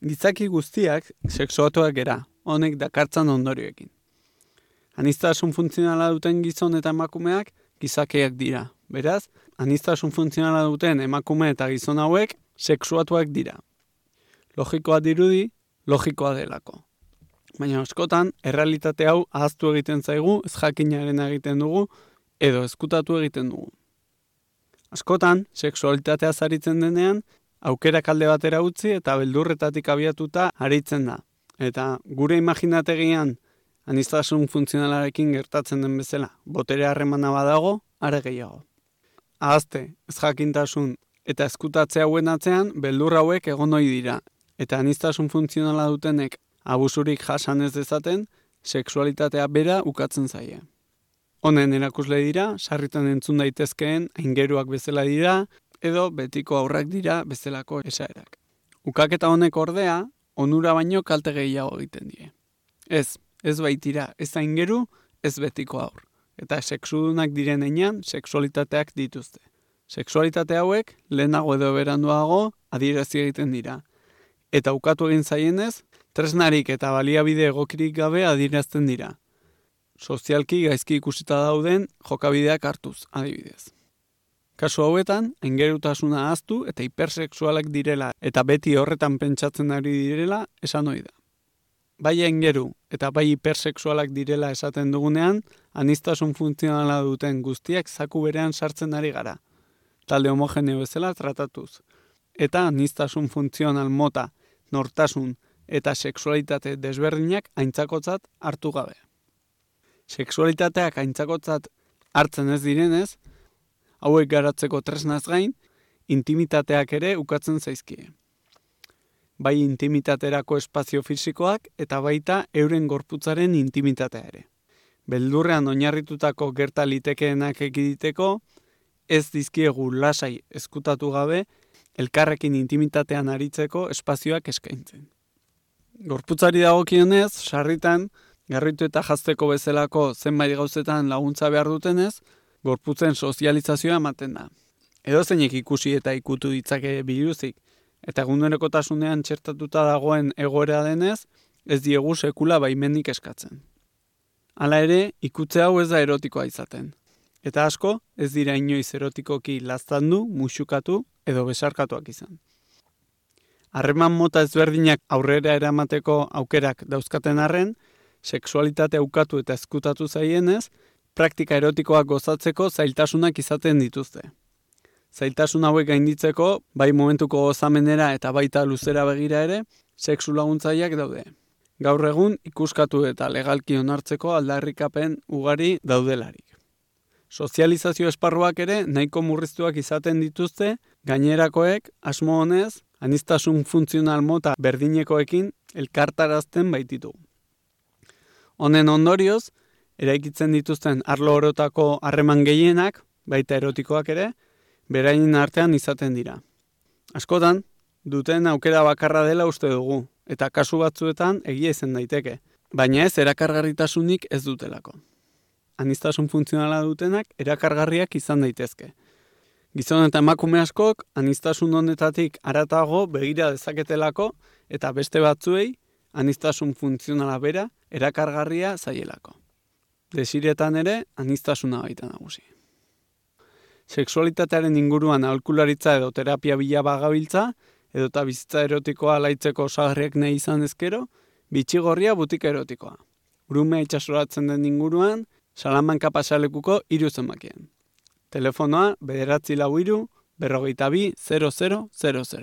Gizaki guztiak sexuatuak gera, honek dakartzan ondorioekin. Aniztasun funtzionala duten gizon eta emakumeak gizakiak dira. Beraz, aniztasun funtzionala duten emakume eta gizon hauek sexuatuak dira. Logikoa dirudi, logikoa delako. Baina askotan, errealitate hau ahaztu egiten zaigu, ez jakinaren egiten dugu, edo ezkutatu egiten dugu. Askotan, sexualitatea zaritzen denean, aukerak alde batera utzi eta beldurretatik abiatuta aritzen da. Eta gure imaginategian aniztasun funtzionalarekin gertatzen den bezala, botere harremana badago, are gehiago. Ahazte, ez jakintasun eta ezkutatze hauen atzean, beldur hauek egon ohi dira. Eta aniztasun funtzionala dutenek abusurik jasan ez dezaten, sexualitatea bera ukatzen zaie. Honen erakusle dira, sarritan entzun daitezkeen aingeruak bezala dira, edo betiko aurrak dira bezalako esaerak. Ukaketa honek ordea, onura baino kalte gehiago egiten die. Ez baitira, ez aingeru, ez betiko aur. Eta sexudunak diren heinean, sexualitateak dituzte. Sexualitate hauek, lehenago edo beranduago, adierazi egiten dira. Eta ukatu egin zaienez, tresnarik eta baliabide egokirik gabe adierazten dira. Sozialki gaizki ikusita dauden jokabideak hartuz, adibidez. Kasu hauetan, aingerutasuna ahaztu eta hipersexualak direla eta beti horretan pentsatzen ari direla esan ohi da. Bai aingeru eta bai hipersexualak direla esaten dugunean, aniztasun funtzionala duten guztiak zaku berean sartzen ari gara. Talde homogeneo bezala tratatuz. Eta aniztasun funtzional mota, nortasun eta sexualitate desberdinak aintzakotzat hartu gabe. Sexualitateak aintzakotzat hartzen ez direnez, hauek garatzeko tresnaz gain, intimitateak ere ukatzen zaizkie. Bai intimitaterako espazio fisikoak eta baita euren gorputzaren intimitatea ere. Beldurrean oinarritutako gerta litekeenak ekiditeko, ez dizkiegu lasai ezkutatu gabe, elkarrekin intimitatean aritzeko espazioak eskaintzen. Gorputzari dagokionez, sarritan, garritu eta jazteko bezalako zenbait gauzetan laguntza behar dutenez, gorputzen sozializazioa ematen da. Edozeinek ikusi eta ikutu ditzake biluzik, eta egunerokotasunean txertatuta dagoen egoera denez, ez diegu sekula baimenik eskatzen. Hala ere, ikutze hau ez da erotikoa izaten. Eta asko, ez dira inoiz erotikoki laztandu, muxukatu edo besarkatuak izan. Harreman mota ezberdinak aurrera eramateko aukerak dauzkaten arren, sexualitate ukatu eta ezkutatu zaienez, praktika erotikoak gozatzeko zailtasunak izaten dituzte. Zailtasun hauek gainditzeko, bai momentuko gozamenera eta baita luzera begira ere, sexu laguntzaileak daude. Gaur egun ikuskatu eta legalki onartzeko aldarrikapen ugari daudelarik. Sozializazio esparruak ere nahiko murriztuak izaten dituzte, gainerakoek asmo honez, aniztasun funtzional mota berdinekoekin elkartarazten baititu. Honen ondorioz, eraikitzen dituzten arlo orotako harreman gehienak, baita erotikoak ere, beraien artean izaten dira. Askotan, duten aukera bakarra dela uste dugu, eta kasu batzuetan egia izan daiteke, baina ez erakargarritasunik ez dutelako. Aniztasun funtzionala dutenak erakargarriak izan daitezke. Gizon eta emakume askok aniztasun honetatik haratago begira dezaketelako eta beste batzuei aniztasun funtzionala bera erakargarria zaielako. Desiretan ere aniztasuna baita nagusi. Sexualitatearen inguruan aholkularitza edo terapia bila bagabiltza, edota bizitza erotikoa alaitzeko osagarriak nahi izan ezkero, bitxigorria butika erotikoa. Urumea itsasoratzen den inguruan, Salamanca pasalekuko 3 zenbakien. Telefonoa 943 42 0000.